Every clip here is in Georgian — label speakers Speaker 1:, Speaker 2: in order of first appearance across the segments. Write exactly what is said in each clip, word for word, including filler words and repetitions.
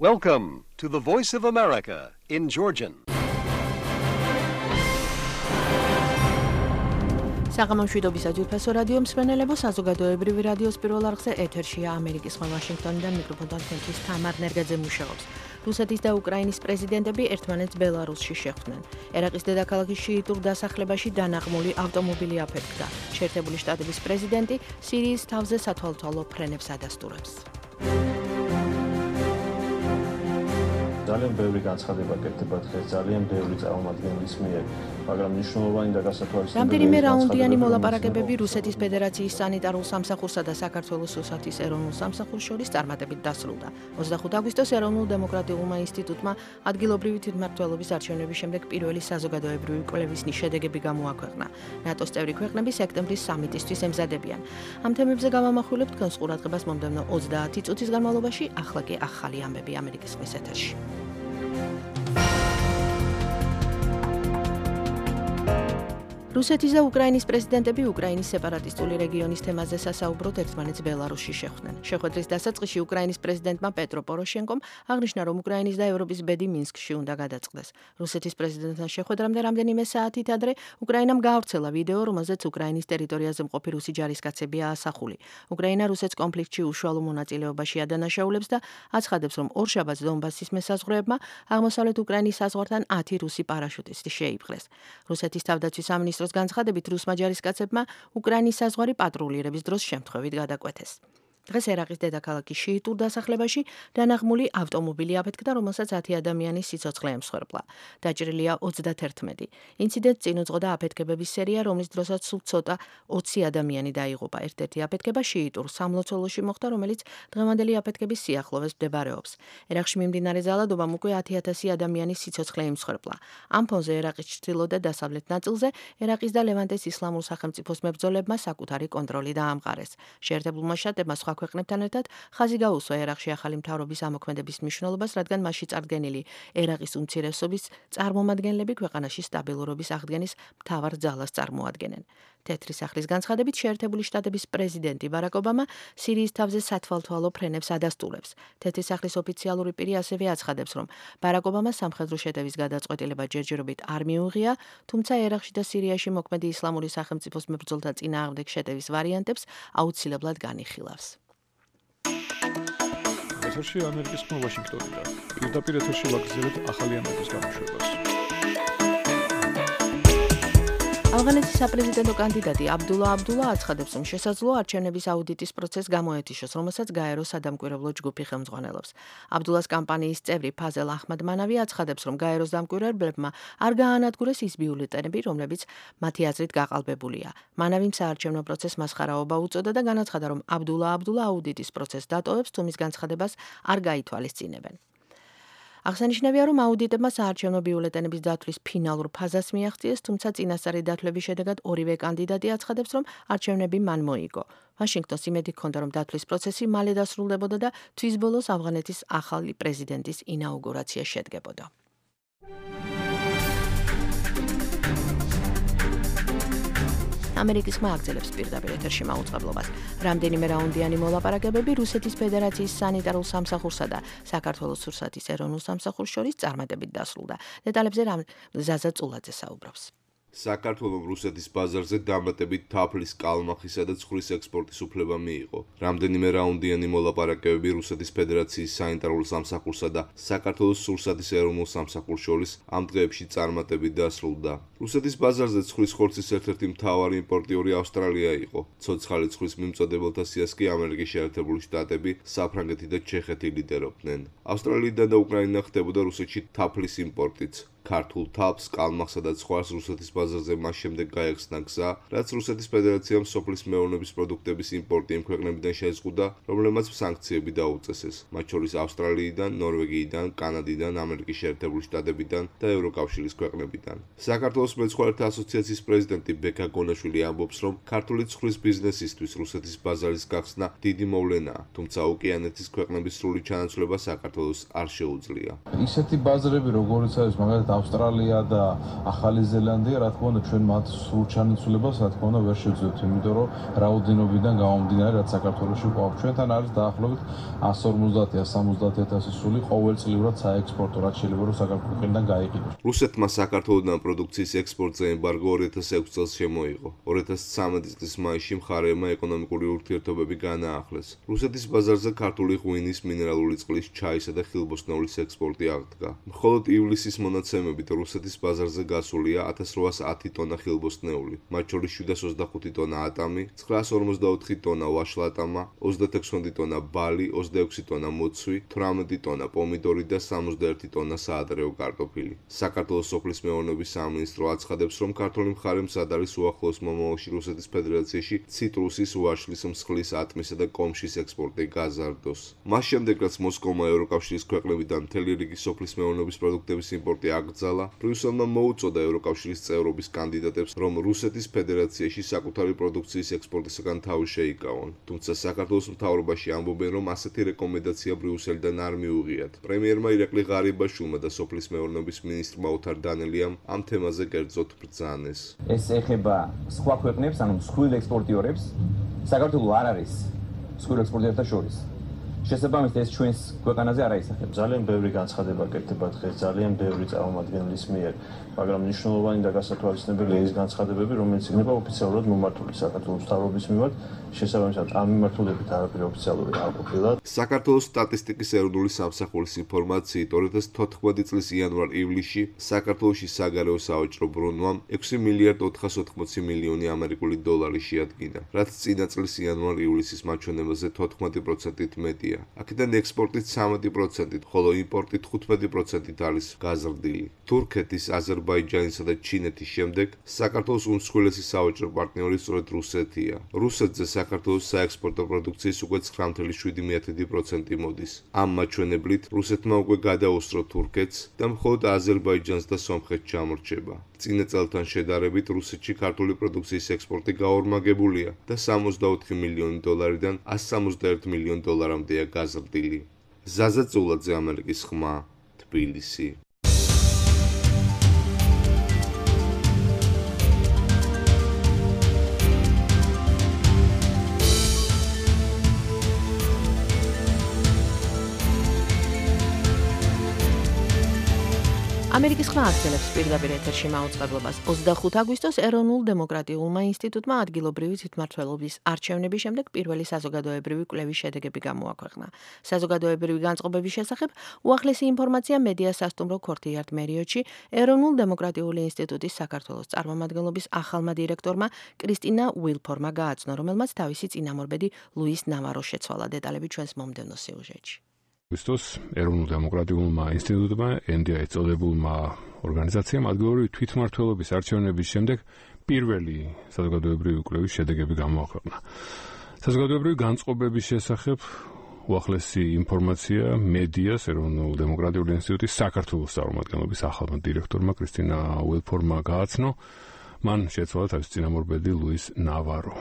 Speaker 1: Welcome to the Voice of America in Georgian.
Speaker 2: საღამომშვიდობის აჯილფესო რადიო მსმენელებო, საზოგადოებრივი რადიოს პირველ არხზე ეთერშია ამერიკის ხმა ვაშინგტონიდან მიკროფონთან თქვენთვის თამარ ნერგაძე მუშაობს. რუსეთის და უკრაინის პრეზიდენტები ერთმანეთს ბელარუსში შეხვდნენ. ერაყის დედაქალაქის შიიტურ დასახლებაში დანაღმული ავტომობილი აფეთქდა. შეერთებული შტატების პრეზიდენტი სირიის თავზე სათვალთვალო ფრენებს ადასტურებს.
Speaker 3: ძალიან ბევრი განცხადება კეთდება დღეს, ძალიან ბევრი წარმომადგენლის მიერ, მაგრამ მნიშვნელოვანი და გასათვალისწინებელი
Speaker 2: რამდენიმე რაუნდიანი მოლაპარაკებები რუსეთის ფედერაციის სანიტარულ სამსახურსა და საქართველოს ოსეთის ეროვნულ სამსახურს შორის წარმატებით დასრულდა. ოცდახუთი აგვისტოს ეროვნულ დემოკრატიულმა ინსტიტუტმა ადგილობრივი თვითმმართველობის არჩევნების შემდეგ პირველი საზოგადოებრივი კვლევის შედეგები გამოაქვეყნა. ნატოს წევრი ქვეყნები სექტემბრის სამიტისთვის ემზადებიან. ამ თემებზე გავამახვილებთ თქვენს ყურადღებას მომდევნო ოცდაათი წუთის განმავლობაში, ახლა კი ახალი ამბები ამერიკის ხმის ეთერში. რუსეთის და უკრაინის პრეზიდენტები უკრაინის სეპარატისტული რეგიონის თემაზე სასაუბროდ ერთმანეთს ბელარუსში შეხვდნენ. შეხვედრის დასაწყისში უკრაინის პრეზიდენტმა პეტრო პოროშენკომ აღნიშნა, რომ უკრაინის და ევროპის ბედი მინსკში უნდა გადაწყდეს. რუსეთის პრეზიდენტთან შეხვედრამდე რამდენიმე საათით ადრე უკრაინამ გაავრცელა ვიდეო, რომელზეც უკრაინის ტერიტორიაზე მყოფი რუსი ჯარისკაცებია ასახული. უკრაინა რუსეთს კონფლიქტში უშუალო მონაწილეობაში ადანაშაულებს და აცხადებს, რომ ორშაბათს დონბასის მესაზღვრეებმა აღმოსავლეთ უკრაინის საზღვართან ათი რუსი პარაშუტისტი შეიპყრეს. რუსეთის თავდაცვის სამინისტროს განცხადებით რუსმა ჯარისკაცებმა უკრაინის საზღვარი პატრულირების დროს შემთხვევით გადაკვეთეს. დღეს ერაყის დედაქალაქის შიიტურ დასახლებაში დანაღმული ავტომობილი აფეთქდა, რომელსაც ათი ადამიანის სიცოცხლე ემსხვერპლა. დაჭრილია ოცდაათი. ინციდენტს წინ უძღოდა აფეთქებების სერია, რომლის დროსაც სულ ცოტა ოცი ადამიანი დაიღუპა. ერთ-ერთი აფეთქება შიიტურ სამლოცველოში მოხდა, რომელიც დღევანდელი აფეთქების სიახლოვეს მდებარეობს. ერაყში მიმდინარე ძალადობამ უკვე ათი ათასი ადამიანის სიცოცხლე იმსხვერპლა. ამ ფონზე ერაყის ჩრდილო და დასავლეთ ნაწილზე ერაყის და ლევანტეს ისლამურ სახელმწიფოს მებრძოლებმა საკუთარი კონტროლი დაამყარეს. შეერთებულმა შტატებმა სხვა ქვეყნებთან ერთად ხაზი გაუსვა ერაყში ახალი მთავრობის ამოქმედების მნიშვნელობას, რადგან მასში წარდგენილი ერაყის უმცირესობის წარმომადგენლები ქვეყანაში სტაბილურობის აღდგენის მთავარ ძალას წარმოადგენენ. თეთრი სახლის განცხადებით შეერთებული შტატების პრეზიდენტი ბარაკ ობამა სირიის თავზე სათვალთვალო ფრენებს ადასტურებს. თეთრი სახლის ოფიციალური პირი ასევე აცხადებს, რომ ბარაკ ობამას სამხედრო შეტევის გადაწყვეტილება ჯერჯერობით არ მიუღია, თუმცა ერაყში და სირიაში მოქმედი ისლამური სახელმწიფოს მებრძოლთა წინააღმდეგ შეტევის ვარიანტებს აუცილებლად განიხილავს.
Speaker 4: ეთერში ამერიკის ხმა ვაშინგტონიდან. პირდაპირ ეთერში ვაგრძელებთ ახალი ამბების გამოშვებას.
Speaker 2: ავღანეთის საპრეზიდენტო კანდიდატი აბდულა აბდულა აცხადებს, რომ შესაძლოა არჩევნების აუდიტის პროცესს გამოეთიშოს, რომელსაც გაერო სადამკვირვებლო ჯგუფი ხელმძღვანელობს. აბდულას კამპანიის წევრი ფაზელ აჰმადმანავი აცხადებს, რომ გაეროს დამკვირვებლებმა არ გაანადგურეს ის ბიულეტენები, რომლებიც მათი აზრით გაყალბებულია. მანავიმ საარჩევნო პროცესს მასხარაობა უწოდა და განაცხადა, რომ აბდულა აბდულა აუდიტის პროცესს დატოვებს, თუ მის განცხადებას არ გაითვალისწინებენ. აღსანიშნავია, რომ აუდიტებმა საარჩევნო ბიულეტენების დათვლის ფინალურ ფაზას მიაღწიეს, თუმცა წინასწარი დათვლების შედეგად ორივე კანდიდატი აცხადებს, რომ არჩევნები მან მოიგო. ვაშინგტონს იმედი ჰქონდა, რომ დათვლის პროცესი მალე დასრულდებოდა და თვის ბოლოს ავღანეთის ახალი პრეზიდენტის ინაუგურაცია შედგებოდა. ამერიკის ხმა აგრძელებს პირდაპირ ეთერში მაუწყებლობას. რამდენიმე რაუნდიანი მოლაპარაკებები რუსეთის ფედერაციის სანიტარულ სამსახურსა და საქართველოს რუსეთის ეროვნულ სამსახურს შორის წარმატებით დასრულდა. დეტალებზე ზაზა წულაძე საუბრობს.
Speaker 5: საქართველოს რუსეთის ბაზარზე დამატებით თაფლის, კალმახისა და ცხრის ექსპორტის უფლება მიიღო. რამდენიმე რაუნდიანი მოლაპარაკებები რუსეთის ფედერაციის სანიტარულ სამსახურსა და საქართველოს რუსეთის ეროვნულ სამსახურს შორის ამ დღეებში წარმატებით დასრულდა. რუსეთის ბაზარზე ცხრის ხორცის ერთ-ერთი მთავარი იმპორტიორი ავსტრალია იყო. ცოცხალი ცხრის მიმწოდებელთა სიას კი ამერიკის შეერთებული შტატები, საფრანგეთი და ჩეხეთი ლიდერობდნენ. ავსტრალიიდან და უკრაინა ხდებოდა რუსეთში თაფლის იმპორტიც. ქართულ თაფლს, კალმახსა და ცხვარს რუსეთის ბაზარზე მას შემდეგ გაეხსნა გზა, რაც რუსეთის ფედერაციამ სოფლის მეურნეობის პროდუქტების იმპორტი იმ ქვეყნებიდან შეზღუდა, რომლებმაც სანქციები დაუწესეს, მათ შორის ავსტრალიიდან, ნორვეგიიდან, კანადიდან, ამერიკის შეერთებული შტატებიდან და ევროკავშირის ქვეყნებიდან. საქართველოს მეცხვარეთა ასოციაციის პრეზიდენტი ბექა გონაშვილი ამბობს, რომ ქართული ცხვრის ბიზნესისთვის რუსეთის ბაზარის გახსნა დიდი მოვლენაა, თუმცა ოკეანეთის ქვეყნების სრული ჩანაცვლება საქართველოს არ შეუძლია.
Speaker 6: ისეთი ბაზრები, როგორც არის მაგალითად
Speaker 3: ავსტრალია და ახალი ზელანდია, რა თქმა უნდა, ჩვენ მათ სრულ ჩანაცვლებას, რა თქმა უნდა, ვერ შევძლებთ, იმიტომ რომ რაოდენობიდან გამომდინარე, რაც საქართველოში ყვავ ჩვენთან არის დაახლოებით εκατს ორმოცდაათი - სამოცდაათი ათასი სული ყოველწლიურად საექსპორტო, რაც შეიძლება რომ საქართველოსიდან გაიყიდოს.
Speaker 5: რუსეთმა საქართველოსთან პროდუქციის ექსპორტზე ემბარგო ორი ათას ექვსი წელს შემოიღო. ორი ათას ცხრამეტი წლის მაისში მხარეებმა ეკონომიკური ურთიერთობები განაახლეს. რუსეთის ბაზარზე ქართული ღვინის, მინერალური წყლის, ჩაისა და ხილბოსტნეულის ექსპორტი აღდგა. მხოლოდ ივლისის მონაცემებით რუსეთის ბაზარზე გასულია ათას რვაას ათი ტონა ხილბოსტნეული, მათ შორის შვიდას ოცდახუთი ტონა ატამი, ცხრაას ორმოცდაოთხი ტონა ვაშლატამა, ოცდაათექვსი ტონა ბალი, ოცდაექვსი ტონა მოცვი, თვრამეტი ტონა პომიდორი და სამოცდაერთი ტონა საადრეო კარტოფილი. საქართველოს სოფლის მეურნეობის სამინისტრო აცხადებს, რომ ქართული მხარე მზად არის უახლოეს მომავალში რუსეთის ფედერაციაში ციტრუსის, ვაშლის, მსხლის, ატმისა და კომშის ექსპორტი გაზარდოს. მას შემდეგ, რაც მოსკოვმა ევროკავშირის ქვეყნებიდან მთელი რიგი სოფლის მეურნეობის პროდუქტების იმპორტი აკრძალა, ბრიუსელმა მოუწოდა ევროკავშირის წევრობის კანდიდატებს, რომ რუსეთის ფედერაციაში საკუთარი პროდუქციის ექსპორტისაგან თავი შეიკავონ. თუმცა საქართველოს მთავრობაში ამბობენ, რომ ასეთი რეკომენდაცია ბრიუსელიდან არ მიუღიათ. პრემიერმა ირაკლი ღარიბაშვილმა და სოფლის მეურნეობის მინისტრმა ოთარ დანელიამ ამ თემაზე კერძოდ ბრძანეს.
Speaker 6: ეს ეხება სხვა ქვეყნებს, ანუ მსხვილ ექსპორტიორებს. საქართველო არ არის მსხვილ ექსპორტიორთა შორის. შესაბამისად ეს ჩვენს ქვეყანაზე არ აისახება.
Speaker 3: ძალიან ბევრი განცხადება კეთდება დღეს ძალიან ბევრი წარმომადგენლის მიერ, მაგრამ მნიშვნელოვანი და გასათვალისწინებელია ის განცხადებები, რომელიც იქნება ოფიციალურად მომართული საქართველოს მთავრობის მიმართ, შესაბამისად ამ მიმართულებით არაფერი ოფიციალური არ ყოფილა.
Speaker 5: საქართველოს სტატისტიკის ეროვნული სამსახურის ინფორმაციით ორი ათას თოთხმეტი წლის იანვარ-ივლისში საქართველოში საგარეო სავაჭრო ბრუნვამ ექვსი მილიარდ ოთხასოთხმოცი მილიონი ამერიკული დოლარი შეადგინა, რაც წინა წლის იანვარ-ივლისის მაჩვენებაზე თოთხმეტი პროცენტით მეტია. აქედან ექსპორტით ცამეტი პროცენტით, ხოლო იმპორტით თხუთმეტი პროცენტით არის გაზრდილი. თურქეთის, აზერბაიჯანისა და ჩინეთის შემდეგ საქართველოს უმსხვილესი სავაჭრო პარტნიორი სწორედ რუსეთია. რუსეთზე საქართველოს საექსპორტო პროდუქციის უკვე ცხრა ათეული შვიდი პროცენტი მოდის. ამ მაჩვენებლით რუსეთმა უკვე გადაუსწრო თურქეთს და მხოლოდ აზერბაიჯანს და სომხეთს ჩამორჩება. წინა წელთან შედარებით რუსეთში ქართული პროდუქციის ექსპორტი გაორმაგებულია და სამოცდაოთხი მილიონი დოლარიდან ასი სამოცდაერთი მილიონი დოლარამდეა გაზრდილი. ზაზა წულაძე, ამერიკის ხმა, თბილისი.
Speaker 2: ამერიკის ხმა აგრძელებს პირდაპირ ეთერში მაუწყებლობას. ოცდახუთი აგვისტოს ეროვნულ დემოკრატიულმა ინსტიტუტმა ადგილობრივი თვითმმართველობის არჩევნების შემდეგ პირველი საზოგადოებრივი კვლევის შედეგები გამოაქვეყნა. საზოგადოებრივი განწყობების შესახებ უახლესი ინფორმაცია მედია სასტუმრო ქორთიარდ მერიოტში ეროვნულ დემოკრატიული ინსტიტუტის საქართველოს წარმომადგენლობის ახალმა დირექტორმა კრისტინა უილფორმა გააცნო, რომელმაც თავისი წინამორბედი ლუის ნავარო შეცვალა. დეტალები ჩვენს მომდევნო სიუჟეტში.
Speaker 4: აგვისტოს ეროვნულ დემოკრატიულმა ინსტიტუტმა ენ დი აი წოდებულმა ორგანიზაციამ ადგილობრივი თვითმმართველობის არჩევნების შემდეგ პირველი საზოგადოებრივი კვლევის შედეგები გამოაქვეყნა. საზოგადოებრივი განწყობების შესახებ უახლესი ინფორმაცია მედიას ეროვნულ დემოკრატიული ინსტიტუტის საქართველოს წარმომადგენლობის ახალმა დირექტორმა კრისტინა უილფორმმა გააცნო. მან შეცვალა თავის წინამორბედი ლუის ნავარო.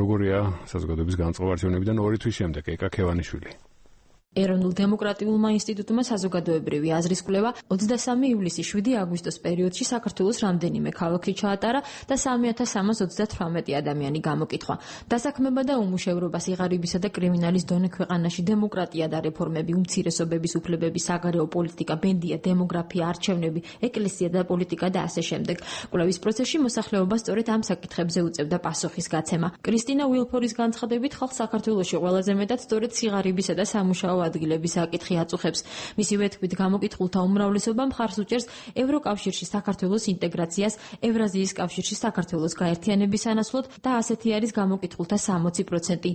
Speaker 4: როგორია საზოგადოების განწყობა არჩევნებიდან ორი თვის შემდეგ ეკა ქევანიშვილი.
Speaker 7: ეროვნულ დემოკრატიულმა ინსტიტუტმა საზოგადოებრივი აზრის კვლევა ოცდასამი ივლისის შვიდი აგვისტოს პერიოდში საქართველოს რამდენიმე ქალაქში ჩაატარა და სამი ათას სამას ოცდათვრამეტი ადამიანი გამოკითხვა. დასაქმება და უმუშევრობა, სიღარიბისა და კრიმინალის დონე ქვეყანაში, დემოკრატია და რეფორმები, უმცირესობების უფლებები, საგარეო პოლიტიკა, ბენდია, დემოგრაფია, არჩევნები, ეკლესია და პოლიტიკა და ასე შემდეგ. კვლევის პროცესში მოსახლეობა სწორედ ამ საკითხებზე უწევდა პასუხის გაცემა. კრისტინა უილფორის განცხადებით, ხალხს საქართველოში ყველაზე მეტად სწორედ სიღარიბისა და სამუშაო ადგილების საკითხი აწუხებს. მისივე თქმით, გამოკითხულთა უმრავლესობა მხარს უჭერს ევროკავშირში საქართველოს ინტეგრაციას, ევრაზიის კავშირში საქართველოს გაერთიანების სანაცვლოდ და ასეთი არის გამოკითხულთა სამოცი პროცენტი.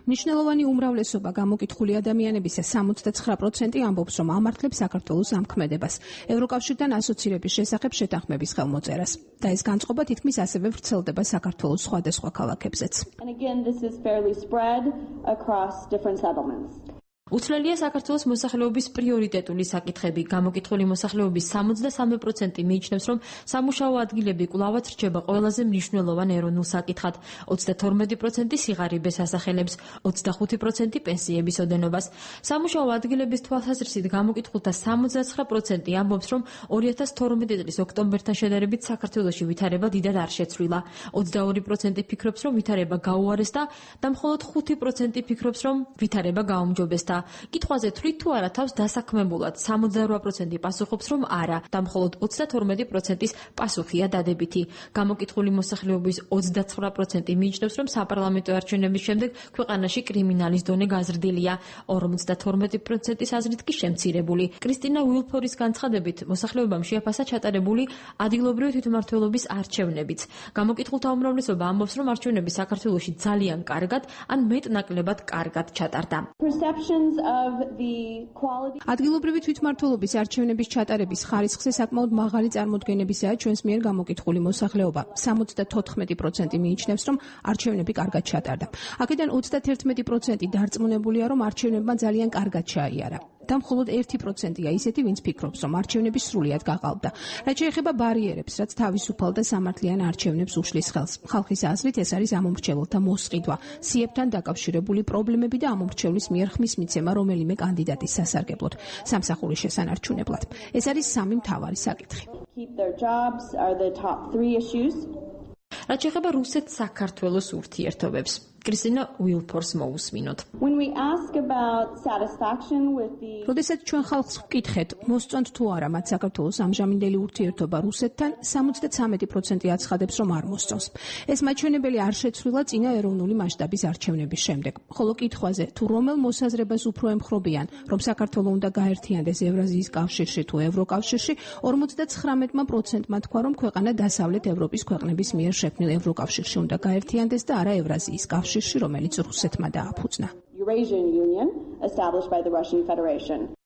Speaker 8: მნიშვნელოვანი უმრავლესობა გამოკითხული ადამიანებისა სამოცდაცხრა პროცენტი ამბობს, რომ ამართლებს საქართველოს ამქმედებას, ევროკავშირთან ასოცირების შესახებ შეთანხმების ხელმოწერას. და ეს განწყობა თითქმის ასევე ვრცელდება საქართველოს სხვადასხვა ქალაქებზეც.
Speaker 7: უცვლელია საქართველოს მოსახლეობის პრიორიტეტული საკითხები. გამოკითხული მოსახლეობის სამოცდასამი პროცენტი მიიჩნევს, რომ სამუშაო ადგილები კვლავაც რჩება ყველაზე მნიშვნელოვან ეროვნულ საკითხად. ოცდათორმეტი პროცენტი სიღარიბეს ასახელებს, ოცდახუთი პროცენტი პენსიების ოდენობას. სამუშაო ადგილების თვალსაზრისით გამოკითხულთა სამოცდაცხრა პროცენტი ამბობს, რომ ორი ათას თორმეტი წლის ოქტომბერთან შედარებით საქართველოში ვითარება დიდად არ შეცვლილა. ოცდაორი პროცენტი ფიქრობს, რომ ვითარება გაუარესდა და მხოლოდ ხუთი პროცენტი ფიქრობს, რომ ვითარება გაუმჯობესდა. კითხვაზე თვლით თუ არა თავს დასაქმებულად სამოცდარვა პროცენტი პასუხობს, რომ არა და მხოლოდ ოცდათორმეტი პროცენტის პასუხია დადებითი. გამოკითხული მოსახლეობის ოცდაცხრა პროცენტი მიიჩნევს, რომ საპარლამენტო არჩევნების შემდეგ ქვეყანაში კრიმინალის დონე გაზრდილია. ორმოცდათორმეტი პროცენტის აზრით კი შემცირებული. კრისტინა უილფორის განცხადებით, მოსახლეობამ შეაფასა ჩატარებული ადგილობრივი თვითმმართველობის არჩევნებიც. გამოკითხულთა უმრავლესობა ამბობს, რომ არჩევნები საქართველოში ძალიან კარგად ან მეტ-ნაკლებად კარგად ჩატარდა.
Speaker 8: ადგილობრივი თვითმმართველობის არჩევნების ჩატარების ხარისხზე საკმაოდ მაღალი წარმოდგენებისაა ჩვენს მიერ გამოკითხული მოსახლეობა. სამოცდათოთხმეტი პროცენტი მიიჩნევს, რომ არჩევნები კარგად ჩატარდა. აქედან ოცდათერთმეტი პროცენტი დარწმუნებულია, რომ არჩევნებმა ძალიან კარგად ჩაიარა. და მხოლოდ ერთი პროცენტია ისეთი, ვინც ფიქრობს, რომ არჩევნები სრულიად გაყალბდა. რაც შეეხება ბარიერებს, რაც თავისუფალ და სამართლიან არჩევნებს უშლის ხელს. ხალხის აზრით ეს არის ამომრჩეველთა მოსყიდვა, სიებთან დაკავშირებული პრობლემები და ამომრჩევლის მიერ ხმის მიცემა რომელიმე კანდიდატის სასარგებლოდ, სამსახურის შესანარჩუნებლად. ეს არის სამი მთავარი საკითხი.
Speaker 7: რაც შეეხება რუსეთ-საქართველოს ურთიერთობებს. კრისტინა უილფორს მოусმინოთ.
Speaker 8: როდესაც ჩვენ ხალხს ვკითხეთ, მოსწონთ თუ არა მათ საქართველოს ამჟამინდელი ურთიერთობა რუსეთთან, სამოცდათვრამეტი პროცენტი აცხადებს, რომ არ მოსწონს. ეს მაჩვენებელი არ შეცვლილა წინა ეროვნული მასშტაბის არჩევნების შემდეგ. ხოლო კითხვაზე, თუ რომელ მოსაზრებას უფრო ემხრობიან, რომ საქართველო უნდა გაერთიანდეს ევრაზიის კავშირში თუ ევროკავშირში, ორმოცდაცხრამეტმა პროცენტმა თქვა, რომ ქვეყანა დასავლეთ ევროპის ქვეყნების მიერ შექმნილ ევროკავშირში უნდა გაერთიანდეს და არა ევრაზიის კავშირში. რომელიც რუსეთმა დააფუძნა.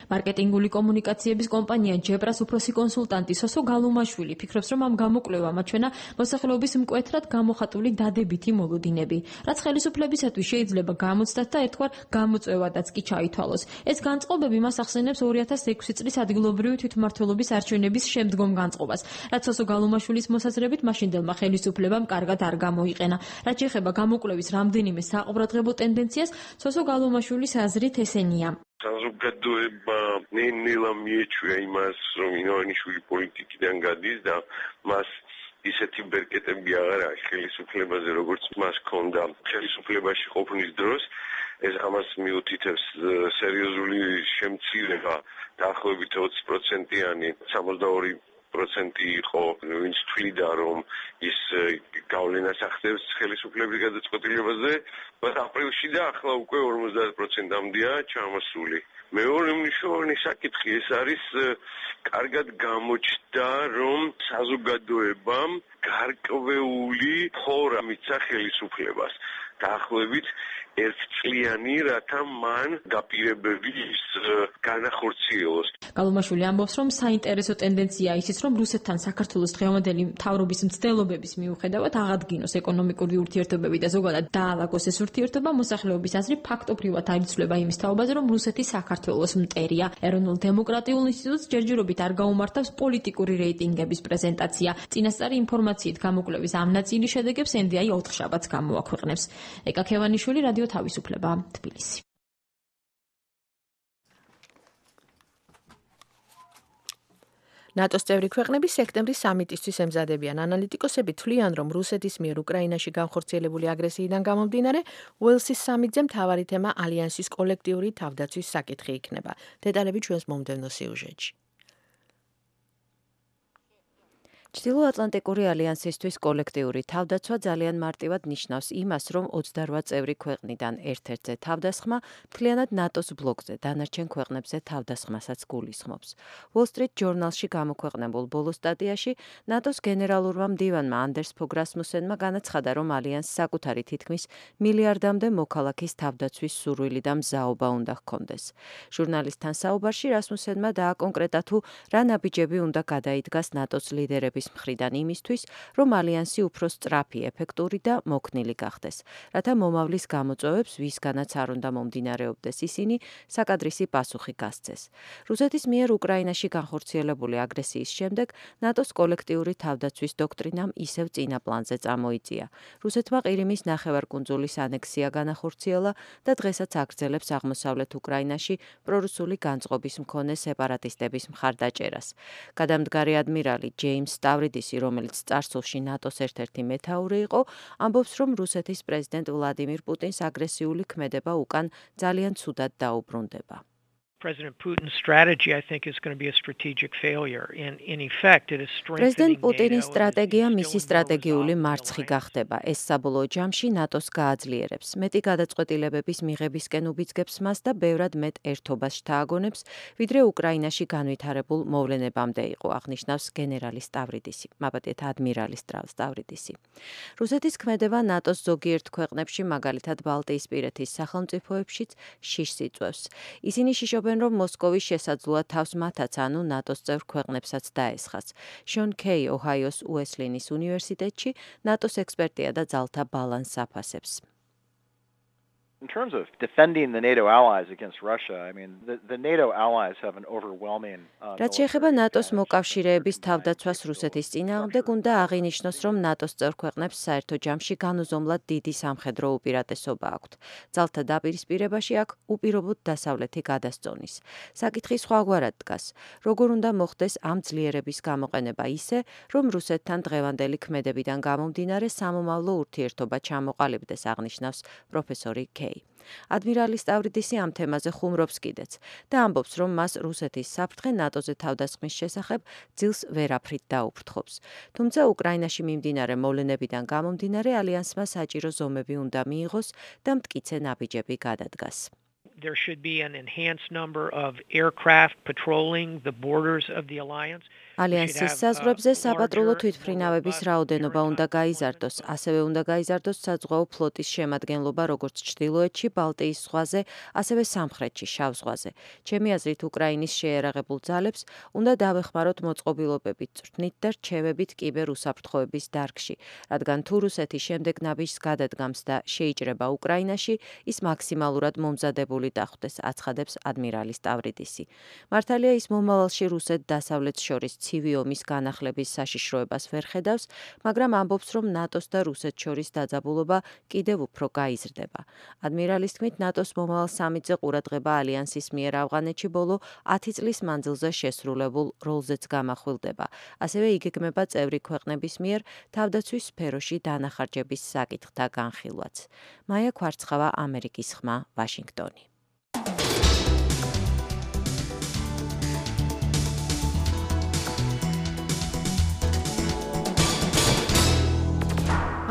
Speaker 7: მარკეტინგული კომუნიკაციების კომპანია ჯებრას უფროსი კონსულტანტი სოსო გალუმაშვილი ფიქრობს, რომ ამ გამოკვლევამ აჩვენა მოსახლეობის მკვეთრად გამოხატული დადებითი მოლოდინები, რაც ხელისუფლებისათვის შეიძლება გამოცდათ და ერთგვარ გამოწვევადაც კი ჩაითვალოს. ეს განწყობები მას ახსენებს ორი ათას ექვსი წლის ადგილობრივი თვითმმართველობის არჩევნების შემდგომ განწყობას, რაც სოსო გალუმაშვილის მოსაზრებით მაშინდელმა ხელისუფლებამ კარგად არ გამოიყენა. რაც შეეხება გამოკვლევის რამდენიმე საყურადღებო ტენდენციას, სოსო გალუმაშვილის აზრით ესენია.
Speaker 9: საზოგადოება ნელ-ნელა მიეჩვია იმას, რომ ივანიშვილი პოლიტიკიდან გადის და მას ისეთი ბერკეტები აღარ აქვს ხელისუფლებაზე, როგორც მას ჰქონდა ხელისუფლებაში ყოფნის დროს. ეს ამას მიუთითებს სერიოზული შემცირება, დაახლოებით ოცი პროცენტიანი, სამოცდაორი პროცენტი იყო, ვინც თვლიდა, რომ ის გავლენას ახდენს ხელისუფლების გადაწყვეტილებაზე, բայց აპრილში და ახლა უკვე ორმოცდაათ პროცენტამდეა ჩამოსული. მეორე მნიშვნელოვანი საკითხი ეს არის კარგად გამოჩნდა, რომ საზოგადოებამ გარკვეული ფორა მიცა ხელისუფლებას. დაახლოებით ერთწლიანი, რათა მან დაპირებები განახორციელოს.
Speaker 7: გალუმაშვილი ამბობს, რომ საინტერესო ტენდენციაა ისიც, რომ რუსეთთან საქართველოს დღევანდელი მთავრობის მცდელობების მიუხედავად აღადგინოს ეკონომიკური ურთიერთობები და ზოგადად დაალაგოს ეს ურთიერთობა, მოსახლეობის აზრი ფაქტობრივად არ იცვლება იმის თაობაზე, რომ რუსეთი საქართველოს მტერია. ეროვნულ დემოკრატიულ ინსტიტუტს ჯერჯერობით არ გაუმართავს პოლიტიკური რეიტინგების პრეზენტაცია. წინასწარი ინფორმაციით გამოკვლევის ამ ნაწილის შედეგებს ენ დი აი ოთხშაბათს გამოაქვეყნებს. ეკა ქევანიშვილი, რადიო თავისუფლება, თბილისი.
Speaker 2: ნატოს წევრი ქვეყნები სექტემბრის სამიტისთვის ემზადებიან. ანალიტიკოსები თვლიან, რომ რუსეთის მიერ უკრაინაში განხორციელებული აგრესიიდან გამომდინარე, უელსის სამიტზე მთავარი თემა ალიანსის კოლექტიური თავდაცვის საკითხი იქნება. დეტალები ჩვენს მომდევნო სიუჟეტში.
Speaker 10: ჩრდილოატლანტიკური ალიანსისთვის კოლექტიური თავდაცვა ძალიან მარტივად ნიშნავს იმას, რომ ოცდარვა წევრი ქვეყნიდან ერთ-ერთზე თავდასხმა მთლიანად ნატოს ბლოკზე დანარჩენ ქვეყნებზე თავდასხმასაც გულისხმობს. Wall Street Journal-ში გამოქვეყნებულ ბოლო სტატიაში ნატოს გენერალურმა მდივანმა ანდერს ფოგ რასმუსენმა განაცხადა, რომ ალიანსს საკუთარი თითქმის მილიარდამდე მოქალაქის თავდაცვის სურვილი და მზაობა უნდა ჰქონდეს. ჟურნალისტთან საუბარში რასმუსენმა დააკონკრეტა თუ რა ნაბიჯები უნდა გადაიდგას ნატოს ლიდერების მთავრობის მხრიდან იმისთვის, რომ ალიანსი უფრო სწრაფი, ეფექტური და მოქნილი გახდეს, რათა მომავლის გამოწვევებს, ვისგანაც არ უნდა მომდინარეობდეს ისინი, საკადრისი პასუხი გასცეს. რუსეთის მიერ უკრაინაში განხორციელებული აგრესიის შემდეგ ნატოს კოლექტიური თავდაცვის დოქტრინამ ისევ წინა პლანზე წამოიწია. რუსეთმა ყირიმის ნახევარკუნძულის ანექსია განახორციელა და დღესაც აგრძელებს აღმოსავლეთ უკრაინაში პრორუსული განწყობის მქონე სეპარატისტების მხარდაჭერას. გადამდგარი ადმირალი ჯეიმს სტავრიდისი, რომელიც წარსულში ნატოს ერთ-ერთი მეთაური იყო, ამბობს, რომ რუსეთის პრეზიდენტ ვლადიმირ პუტინს აგრესიული ქმედება უკან ძალიან ცუდად დაუბრუნდება.
Speaker 11: President Putin's strategy, I think, is going to be a strategic failure. In, in effect, it is strengthening
Speaker 10: President Putinis სტრატეგია მისი სტრატეგიული მარცხი გახდება. ეს საბოლოო ჯამში ნატოს გააძლიერებს. მეტი გადაწყვეტილებების მიღებისკენ უბიძგებს მას და ბევრად მეტ ერთობას შთააგონებს, ვიდრე უკრაინაში განვითარებულ მოვლენებამდე იყო, აღნიშნავს გენერალი სტავრიდისი, მაბატიეთ ადმირალი სტავრიდისი. რუსეთის ქმედება ნატოს ზოგიერთ ქვეყნებში, მაგალითად ბალტიისპირეთის სახელმწიფოებშიც შიშს იწვევს. ისინი შიშობენ რომ მოსკოვის შესაძლოა თავს მათაც, ანუ ნატოს წევრ ქვეყნებსაც დაესხას. შონ კეი ოჰაიოს უესლინის უნივერსიტეტში ნატოს ექსპერტია და ძალთა ბალანსს აფასებს.
Speaker 12: In terms of defending the NATO allies against Russia, I mean, the, the NATO allies have an overwhelming uh,
Speaker 10: რაც შეეხება ნატოს მოკავშირეების თავდაცვას რუსეთის წინააღმდეგ, უნდა აღინიშნოს, რომ ნატოს წევრ ქვეყნებს საერთო ჯამში განუზომლად დიდი სამხედრო უპირატესობა აქვთ. ძალთა დაპირისპირებაში აქ უპირობოდ დასავლეთი გადასწონის. საკითხი სხვაგვარად დგას. როგორ უნდა მოხდეს ამ ძლიერების გამოყენება ისე, რომ რუსეთთან დღევანდელი ქმედებიდან გამომდინარე სამომავლო ურთიერთობა ჩამოყალიბდეს, აღნიშნავს პროფესორი კეი. ადმირალი სტავრიდისი ამ თემაზე ხუმრობს კიდეც და ამბობს, რომ მას რუსეთის საფრთხე ნატოზე თავდასხმის შესახებ ძილს ვერაფრით დაუფრთხობს. თუმცა უკრაინაში მიმდინარე მოვლენებიდან გამომდინარე ალიანსმა საჭირო ზომები უნდა მიიღოს და მტკიცე ნაბიჯები გადადგას.
Speaker 11: There should be an enhanced number of aircraft patrolling the borders of the alliance.
Speaker 10: ალიანსის საზღვრებზე საპატრულო თვითმფრინავების რაოდენობა უნდა გაიზარდოს, ასევე უნდა გაიზარდოს საზღვაო ფლოტის შემადგენლობა როგორც ჩრდილოეთში, ბალტიის ზღვაზე, ასევე სამხრეთში, შავ ზღვაზე. ჩემი აზრით, უკრაინის შეერაღებულ ძალებს უნდა დავეხმაროთ მოწყობილობებით, წვრთნით და რჩევებით კიბერ უსაფრთხოების დარგში, რადგან თუ რუსეთი შემდეგ ნაბიჯს გადადგამს და შეიჭრება უკრაინაში, ის მაქსიმალურად მომზადებული დახვდეს, აცხადებს ადმირალი სტავრიდისი. მართალია ის მომავალში რუსეთ დასავლეთს შორის ცივი ომის განახლების საშიშროებას ვერ ხედავს, მაგრამ ამბობს, რომ ნატოს და რუსეთს შორის დაძაბულობა კიდევ უფრო გაიზრდება. ადმირალის თქმით, ნატოს მომავალ სამიტზე ყურადღება ალიანსის მიერ ავღანეთში ბოლო ათი წლის მანძილზე შესრულებულ როლზეც გამახვილდება. ასევე იგეგმება წევრი ქვეყნების მიერ თავდაცვის სფეროში დანახარჯების საკითხთა განხილვაც. მაია ქვარცხავა, ამერიკის ხმა, ვაშინგტონი.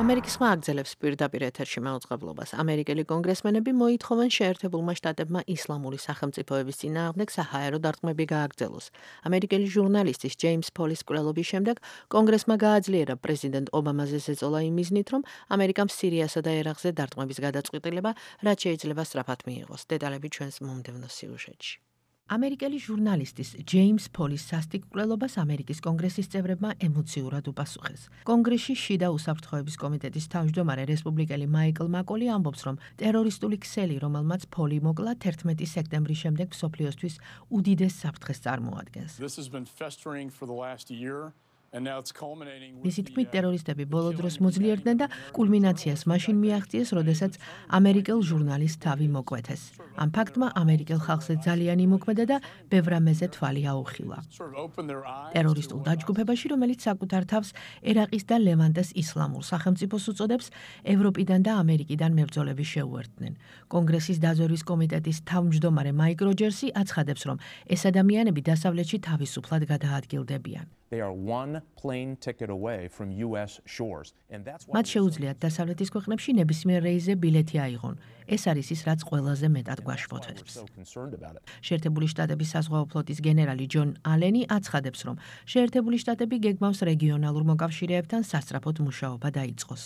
Speaker 2: ამერიკის ხმა აგრძელებს პირდაპირ ეთერში მაუწყებლობას. ამერიკელი კონგრესმენები მოითხოვენ შეერთებულმა შტატებმა ისლამური სახელმწიფოების წინააღმდეგ საჰაერო დარტყმები გააგრძელოს. ამერიკელი ჟურნალისტის ჯეიმს პოლის კვლელობის შემდეგ კონგრესმა გააძლიერა პრეზიდენტ ობამაზე ზეწოლა იმ მიზნით, რომ ამერიკამ სირიასა და ერაყზე დარტყმების გადაწყვეტილება რაც შეიძლება სწრაფად მიიღოს. დეტალები ჩვენს მომდევნო სიუჟეტში. ამერიკელი ჟურნალისტის ჯეიმს პოლის სასტიკ კვლელობას ამერიკის კონგრესის წევრებმა ემოციურად უპასუხეს. კონგრესში შიდა უსაფრთხოების კომიტეტის თავმჯდომარე რესპუბლიკელი მაიკლ მაკოლი ამბობს, რომ ტერორისტული ქსელი, რომელმაც პოლი მოკლა, თერთმეტი სექტემბრის შემდეგ მსოფლიოსთვის უდიდეს საფრთხეს წარმოადგენს. მისი თქმით, ტერორისტები ბოლო დროს მოძლიერდნენ და კულმინაციას მაშინ მიაღწიეს, როდესაც ამერიკელ ჟურნალისტს თავი მოკვეთეს. ამ ფაქტმა ამერიკელ ხალხზე ძალიან იმოქმედა და ბევრ რამეზე თვალი აუხილა. ტერორისტულ დაჯგუფებაში, რომელიც საკუთარ თავს ერაყის და ლევანტეს ისლამურ სახელმწიფოს უწოდებს, ევროპიდან და ამერიკიდან მებრძოლები შეუერთდნენ. კონგრესის დაზვერვის კომიტეტის თავმჯდომარე მაიკ როჯერსი აცხადებს, რომ ეს ადამიანები დასავლეთში თავისუფლად გადაადგილდებიან. მათ შეუძლიათ დასავლეთის ქვეყნებში ნებისმიერ რეისზე ბილეთი აიღონ. ეს არის ის, რაც ყველაზე მეტად გვაშფოთებს. შეერთებული შტატების საზღვაო ფლოტის გენერალი ჯონ ალენი აცხადებს, რომ შეერთებული შტატები გეგმავს რეგიონალურ მოკავშირეებთან სასწრაფოდ მუშაობა დაიწყოს.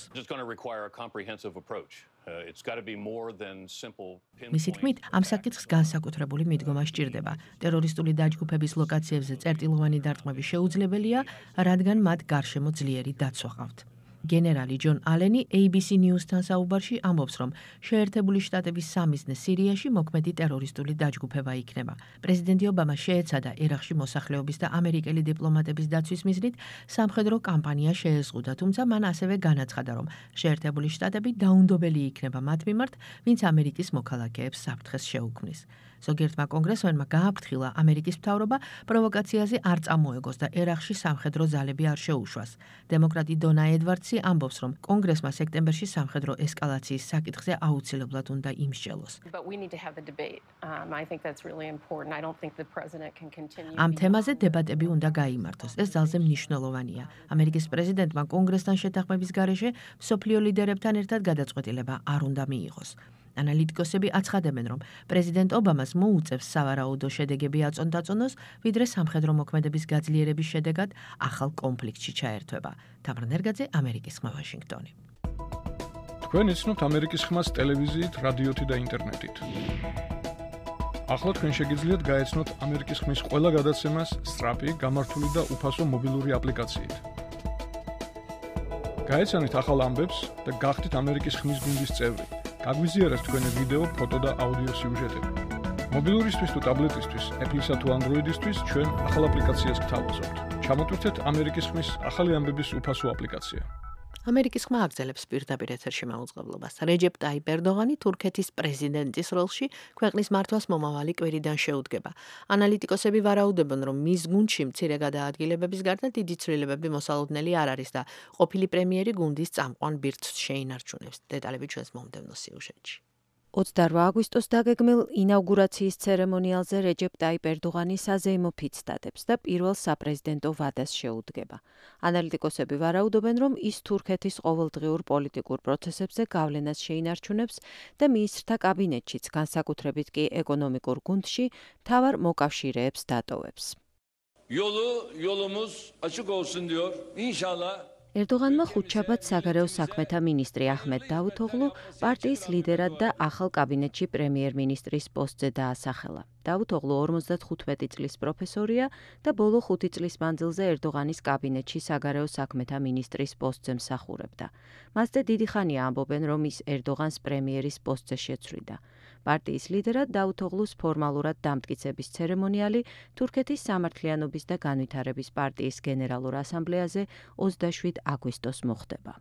Speaker 2: მისი თქმით, ამ საკითხს განსაკუთრებული მიდგომა სჭირდება. ტერორისტული დაჯგუფების ლოკაციებზე წერტილოვანი დარტყმები შეუძლებელია, რადგან მათ გარშემო ძლიერი დაცვა ჰყავთ. გენერალი ჯონ ალენი A B C News-თან საუბარში ამბობს, რომ შეერთებული შტატების სამიზნე სირიაში მოქმედი ტერორისტული დაჯგუფება იქნება. პრეზიდენტი ობამა შეეცადა ერაყში მოსახლეობის და ამერიკელი დიპლომატების დაცვის მიზნით სამხედრო კამპანია შეეზღუდა, თუმცა მან ასევე განაცხადა, რომ შეერთებული შტატები დაუნდობელი იქნება მათ მიმართ, ვინც ამერიკის მოქალაქეებს საფრთხეს შეუქმნის. ზოგიერთმა კონგრესმენმა გააფრთხილა ამერიკის მთავრობა პროვოკაციაზე არ წამოეგოს და ერაყში სამხედრო ძალები არ შეუშვას. დემოკრატი დონა ედვარდსი ამბობს, რომ კონგრესმა სექტემბერში სამხედრო ესკალაციის საკითხზე აუცილებლად უნდა იმსჯელოს. ამ თემაზე დებატები უნდა გაიმართოს. ეს ძალზე მნიშვნელოვანია. ამერიკის პრეზიდენტმა კონგრესთან შეთანხმების გარეშე მსოფლიო ლიდერებთან ერთად გადაწყვეტილება არ უნდა მიიღოს. ანალიტიკოსები აცხადებენ, რომ პრეზიდენტ ობამას მოუწევს სავარაუდო შედეგები აწონ-დაწონოს, ვიდრე სამხედრო მოქმედების გაძლიერების შედეგად ახალ კონფლიქტში ჩაერთვება. თამარ ნერგაძე, ამერიკის ხმა, ვაშინგტონი.
Speaker 13: თქვენ იცნობთ ამერიკის ხმას ტელევიზიით, რადიოთი და ინტერნეტით. ახლა თქვენ შეგიძლიათ გაეცნოთ ამერიკის ხმის ყველა გადაცემას სწრაფი, გამართული და უფასო მობილური აპლიკაციით. გაეცანით ახალ ამბებს და გახდით ამერიკის ხმის გუნდის წევრი. გაგვიზიარეთ თქვენი ვიდეო, ფოტო და აუდიო სიუჟეტები. მობილურისთვის თუ ტაბლეტისთვის, Apple-ისა თუ Android-ისთვის ჩვენ ახალ აპლიკაციას გთავაზობთ. ჩამოტვირთეთ ამერიკის ხმის ახალი ამბების უფასო აპლიკაცია.
Speaker 2: ამერიკის ხმა აგრძელებს პირდაპირ ეთერში მაუწყებლობას. რეჯეპ ტაიპ ერდოღანი თურქეთის პრეზიდენტის როლში ქვეყნის მართვას მომავალი კვირიდან შეუდგება. ანალიტიკოსები ვარაუდობენ, რომ მის გუნდში მცირე გადაადგილებების გარდა დიდი ცვლილებები მოსალოდნელი არ არის და ყოფილი პრემიერი გუნდის წამყვან ბირთვს შეინარჩუნებს. დეტალები ჩვენს მომდევნო სიუჟეტში.
Speaker 10: ოცდაორმა აგვისტოს დაგეგმილ ინაუგურაციის ცერემონიალზე რეჯეპ ტაიპ ერდოღანი საზეიმო ფიცს დადებს და პირველ საპრეზიდენტო ვადას შეუდგება. ანალიტიკოსები ვარაუდობენ, რომ ის თურქეთის ყოველდღიურ პოლიტიკურ პროცესებზე გავლენას შეინარჩუნებს და მინისტრთა კაბინეტშიც, განსაკუთრებით კი ეკონომიკურ გუნდში, მთავარ მოკავშირეებს დატოვებს.
Speaker 14: Yolu yolumuz açık olsun diyor. İnşallah
Speaker 10: ერდოღანმა ხუთშაბათს საგარეო საქმეთა მინისტრი აჰმედ დავუთოღლუ პარტიის ლიდერად და ახალ კაბინეტში პრემიერ-მინისტრის პოსტზე დაასახელა. დავუთოღლუ ორმოცდახუთმეტი წლის პროფესორია და ბოლო ხუთი წლის მანძილზე ერდოღანის კაბინეტში საგარეო საქმეთა მინისტრის პოსტზე მსახურებდა. მასზე დიდი ხანია ამბობენ, რომ ის ერდოღანს პრემიერის პოსტზე შეცვლიდა. პარტიის ლიდერად დავუთოღლუს ფორმალურად დამტკიცების ცერემონიალი თურქეთის სამართლიანობის და განვითარების პარტიის გენერალურ ასამბლეაზე ოცდაშვიდ აგვისტოს მოხდება.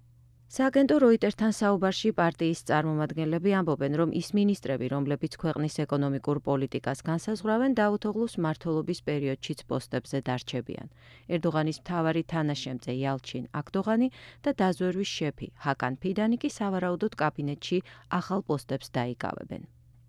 Speaker 10: სააგენტო როიტერთან საუბარში პარტიის წარმომადგენლები ამბობენ, რომ ის მინისტრები, რომლებიც ქვეყნის ეკონომიკურ პოლიტიკას განსაზღვრავენ, დავუთოღლუს მმართველობის პერიოდშიც პოსტებზე დარჩებიან. ერდოღანის მთავარი თანაშემწე იალჩინ აკდოღანი და დაზვერვის შეფი ჰაკან ფიდანი კი სავარაუდოდ კაბინეტში ახალ პოსტებს დაიკავებენ.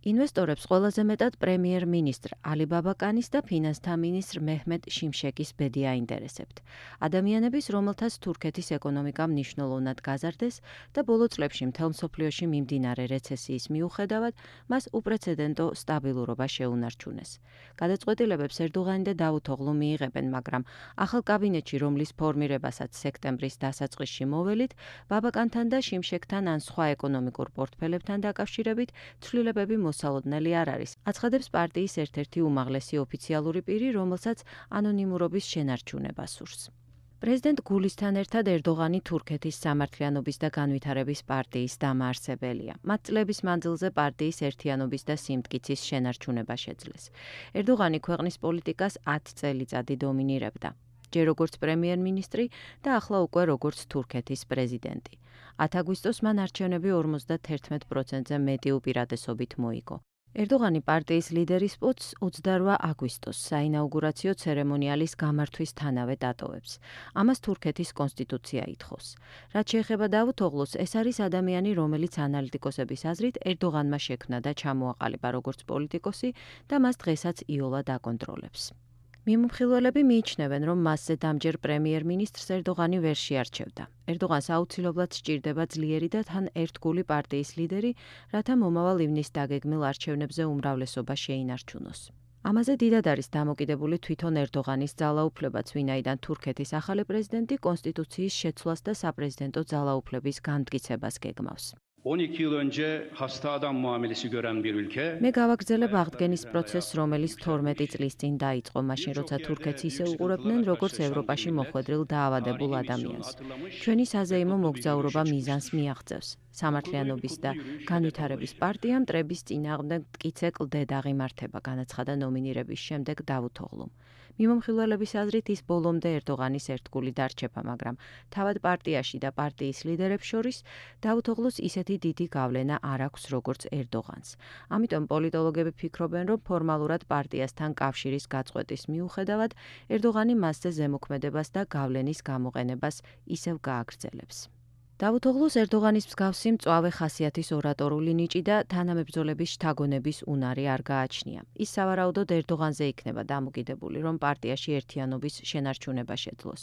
Speaker 10: ინვესტორებს ყველაზე მეტად პრემიერ-მინისტრ ალი ბაბაკანის და ფინანსთა მინისტრ მეჰმედ შიმშეკის ბედი აინტერესებთ. ადამიანების, რომელთაც თურქეთის ეკონომიკა მნიშვნელოვნად გაზარდეს და ბოლო წლებში მთელ მსოფლიოში მიმდინარე რეცესიის მიუხედავად, მას უპრეცედენტო სტაბილურობა შეუნარჩუნეს. გადაწყვეტილებებს ერდოღანი და დავუთოღლუ მიიღებენ, მაგრამ ახალ კაბინეტში, რომლის ფორმირებასაც სექტემბრის დასაწყისში მოველით, ბაბაკანთან და შიმშეკთან ან სხვა ეკონომიკურ პორტფელებთან დაკავშირებით ცვლილებები მოსალოდნელი არ არის. აცხადებს პარტიის ერთ-ერთი უმაღლესი ოფიციალური პირი, რომელსაც ანონიმურობის შენარჩუნება სურს. პრეზიდენტ გულისთან ერთად ერდოღანი თურქეთის სამართლიანობის და განვითარების პარტიის დამაარსებელია. მათ წლების მანძილზე პარტიის ერთიანობის და სიმტკიცის შენარჩუნება შეძლეს. ერდოღანი ქვეყნის პოლიტიკას ათი წელიწადი დომინირებდა. ჯერ როგორც პრემიერ-მინისტრი და ახლა უკვე როგორც თურქეთის პრეზიდენტი. ათი აგვისტოს მან არჩევნები ორმოცდაათი პროცენტზე მეტი უპირატესობით მოიგო. ერდოღანი პარტიის ლიდერის პოსტს ოცდაორმა აგვისტოს საინაუგურაციო ცერემონიალის გამართვისთანავე დატოვებს. ამას თურქეთის კონსტიტუცია ითხოვს. რაც შეეხება დავუთოღლუს, ეს არის ადამიანი, რომელიც ანალიტიკოსების აზრით ერდოღანმა შექმნა და ჩამოაყალიბა როგორც პოლიტიკოსი და მას დღესაც იოლად აკონტროლებს. მიმომხილველები მიიჩნევენ, რომ მასზე დამჯერ პრემიერ-მინისტრს ერდოღანი ვერ შეარჩევდა. ერდოღანს აუცილებლად სჭირდება ძლიერი და თან ერთგული პარტიის ლიდერი, რათა მომავალ ივნის დაგეგმილ არჩევნებზე უმრავლესობა შეინარჩუნოს. ამაზე დიდად არის დამოკიდებული თვითონ ერდოღანის ძალაუფლებაც, ვინაიდან თურქეთის ახალი პრეზიდენტი კონსტიტუციის შეცვლას და საპრეზიდენტო ძალაუფლების განმტკიცებას გეგმავს.
Speaker 15: on iki yıl önce hasta adam muamelesi gören bir ülke.
Speaker 10: მე გავაგრძელებ აღდგენის პროცესს, რომელიც თორმეტი წლის წინ დაიწყო, მაშინ როცა თურქეთს ისე უყურებდნენ, როგორც ევროპაში მოხვედრილ დაავადებულ ადამიანს. ჩვენი საზეიმო მოგზაურობა მიზანს მიაღწევს. სამართლიანობის და განვითარების პარტია მტრების წინააღმდეგ მტკიცე კლდედ აღიმართება, განაცხადა ნომინირების შემდეგ დავუთ ოღლუმ. მიმომხილველების აზრით ის ბოლომდე ერდოღანის ერთგული დარჩება, მაგრამ თავად პარტიაში და პარტიის ლიდერებს შორის დავუთ ოღლუს ისეთი დიდი გავლენა არ აქვს, როგორც ერდოღანს. ამიტომ პოლიტოლოგები ფიქრობენ, რომ ფორმალურად პარტიასთან კავშირის გაწყვეტის მიუხედავად, ერდოღანი მასზე ზემოქმედებას და გავლენის გამოყენებას ისევ გააგრძელებს. დავუთ ოღლუს ერდოღანის მსგავსი მწვავე ხასიათის ორატორული ნიჭი და თანამებრძოლების შთაგონების უნარი არ გააჩნია. ის სავარაუდოდ ერდოღანზე იქნება დამოკიდებული, რომ პარტიაში ერთიანობის შენარჩუნება შეძლოს.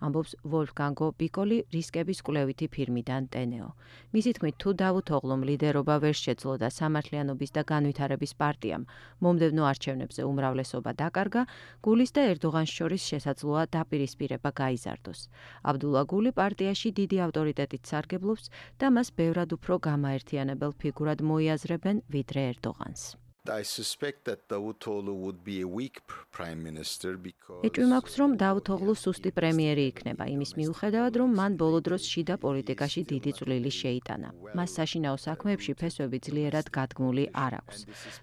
Speaker 10: ამბობს ვოლფგანგო პიკოლი რისკების კვლევითი ფირმიდან ტენეო. მისი თქმით, თუ დავუთ ოღლუმ ლიდერობა ვერ შეძლო და სამართლიანობის და განვითარების პარტიამ მომდევნო არჩევნებზე უმრავლესობა დაკარგა, გულის და ერდოღანს შორის შესაძლოა დაპირისპირება გაიზარდოს. აბდულა გული პარტიაში დიდი ავტორიტეტი სარგებლობს და მას ბევრად უფრო გამაერთიანებელ ფიგურად მოიაზრებენ ვიდრე ერდოღანს. ეჭვი მაქვს, რომ დავუთ ოღლუ სუსტი პრემიერი იქნება, იმის მიუხედავად, რომ მან ბოლო დროს შიდა პოლიტიკაში დიდი წვლილი შეიტანა. მას საშინაო საქმეებში ფესვები ძლიერად გადგმული არ აქვს.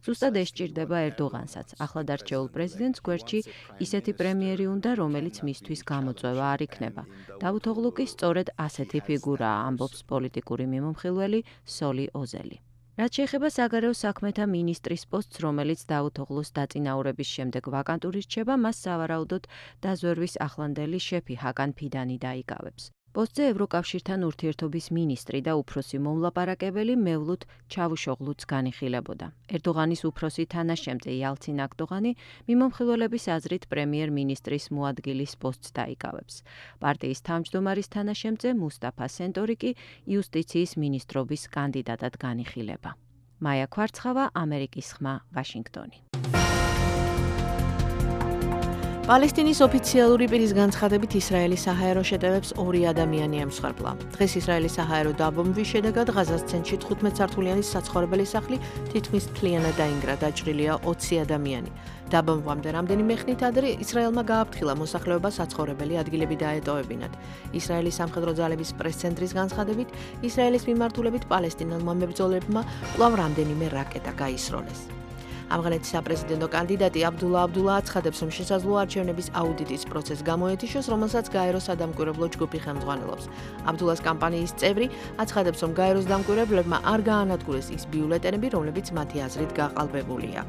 Speaker 10: ზუსტად ეს სჭირდება ერდოღანსაც. ახლად არჩეულ პრეზიდენტს გვერდში ისეთი პრემიერი უნდა, რომელიც მისთვის გამოწვევა არ იქნება. დავუთ ოღლუ კი სწორედ ასეთი ფიგურაა, ამბობს პოლიტიკური მიმომხილველი სოლი ოზელი. რაც შეეხება საგარეო საქმეთა მინისტრის პოსტს, რომელიც დავუთ ოღლუს დაწინაურების შემდეგ ვაკანტური რჩება, მას სავარაუდოდ დაზვერვის ახლანდელი შეფი ჰაკან ფიდანი დაიკავებს. პოსტზე ევროკავშირთან ურთიერთობის მინისტრი და უფროსი მომლაპარაკებელი მევლութ ჩავუშოღლუც განიხილებოდა. ერდოღანის უფროსი თანაშემწე იალცინ აკდოღანი მიმომხილველების აზრით პრემიერ-მინისტრის მოადგილის პოსტს დაიკავებს. პარტიის თავმჯდომარის თანაშემწე მუსტაფა სენტორი კი იუსტიციის მინისტრობის კანდიდატად განიხილება. მაია ქვარცხავა, ამერიკის ხმა, ვაშინგტონი. პალესტინის ოფიციალური პირის განცხადებით ისრაელის საჰაერო შეტევებს ორი ადამიანი ემსხვერპლა. დღეს ისრაელის საჰაერო დაბომბვის შედეგად ღაზას ცენტრში თხუთმეტ სართულიანი საცხოვრებელი სახლი თითქმის მთლიანად დაინგრა, დაჭრილია ოცი ადამიანი. დაბომბვამდე რამდენიმე ხნით ადრე ისრაელმა გააფრთხილა მოსახლეობა საცხოვრებელი ადგილები დაეტოვებინათ. ისრაელის სამხედრო ძალების პრეს-ცენტრის განცხადებით, ისრაელის მიმართულებით პალესტინელმა მებრძოლებმა კვლავ რამდენიმე რაკეტა გაისროლეს. ამღანეთის საპრეზიდენტო კანდიდატი აბდულა აბდულა აცხადებს, რომ შესაძლოა არჩევნების აუდიტის პროცესს გამოეთიშოს, რომელსაც გაეროს სადამკვირვებლო ჯგუფი ხელმძღვანელობს. აბდულას კამპანიის წევრი აცხადებს, რომ გაეროს დამკვირვებლებმა არ გაანადგურეს ის ბიულეტენები, რომლებიც მათი აზრით გაყალბებულია.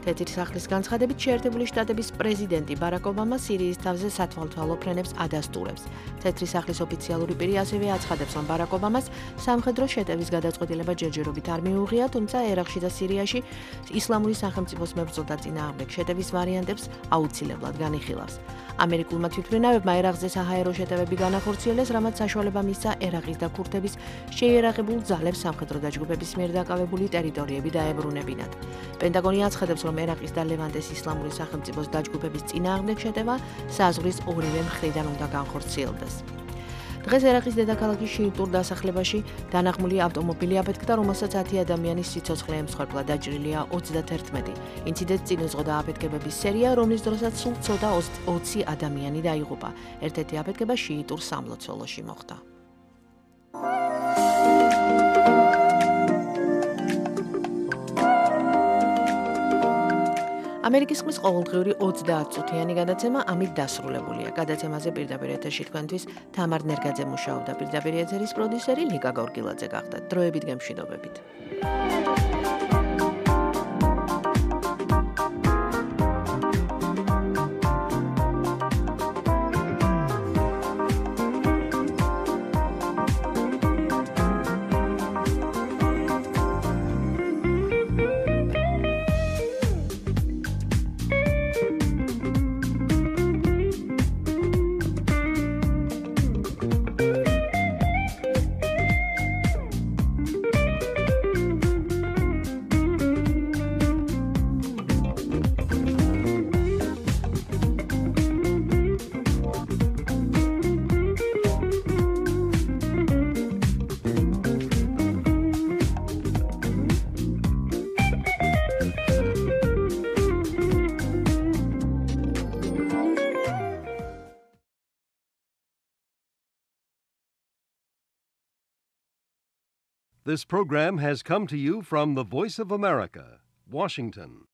Speaker 10: თეთრი სახლის განცხადებით შეერთებული შტატების პრეზიდენტი ბარაკ ობამა სირიის თავზე სათვალთვალო ფრენებს ადასტურებს. თეთრი სახლის ოფიციალური პირი ასევე აცხადებს, რომ ბარაკ ობამას სამხედრო შეტევის გადაწყვეტილება ჯერჯერობით არ მიუღია, თუმცა ერაყში და სირიაში ისლამური სახელმწიფოს მებრძოლთა წინააღმდეგ შეტევის ვარიანტებს აუცილებლად განიხილავს. ამერიკულმა თვითმფრინავებმა ერაყზე საჰაერო შეტევები განახორციელეს, რამაც საშუალება მისცა ერაყის და ქურთების შეიარაღებულ ძალებს სამხედრო დაჯგუფების მიერ დაკავებული ტერიტორიები დაებრუნებინათ. პენტაგონი აცხადებს, რომ ერაყის და ლევანტეს ისლამური სახელმწიფოს დაჯგუფების წინააღმდეგ შეტევა საზღვრის ორივე მხრიდან უნდა განხორციელდეს. დღეს ერაყის დედაქალაქის შიიტურ დასახლებაში დანაღმული ავტომობილი აფეთქდა, რომელსაც ათი ადამიანის სიცოცხლე ემსხვერპლა, დაჭრილია ოცდაათერთმეტი. ინციდენტს წინ უძღოდა აფეთქებების სერია, რომლის დროსაც სულ ცოტა ოცი ადამიანი დაიღუპა. ერთ-ერთი აფეთქება შიიტურ სამლოცველოში მოხდა. ამერიკის ხმის ყოველდღიური ოცდაათწუთიანი გადაცემა ამით დასრულებულია. გადაცემაზე პირდაპირ ეთერში თქვენთვის თამარ ნერგაძე მუშაობდა. პირდაპირ ეთერის პროდიუსერი ლიკა გორგილაძე გახდა. დროებით გემშვიდობებით.
Speaker 1: This program has come to you from the Voice of America, Washington.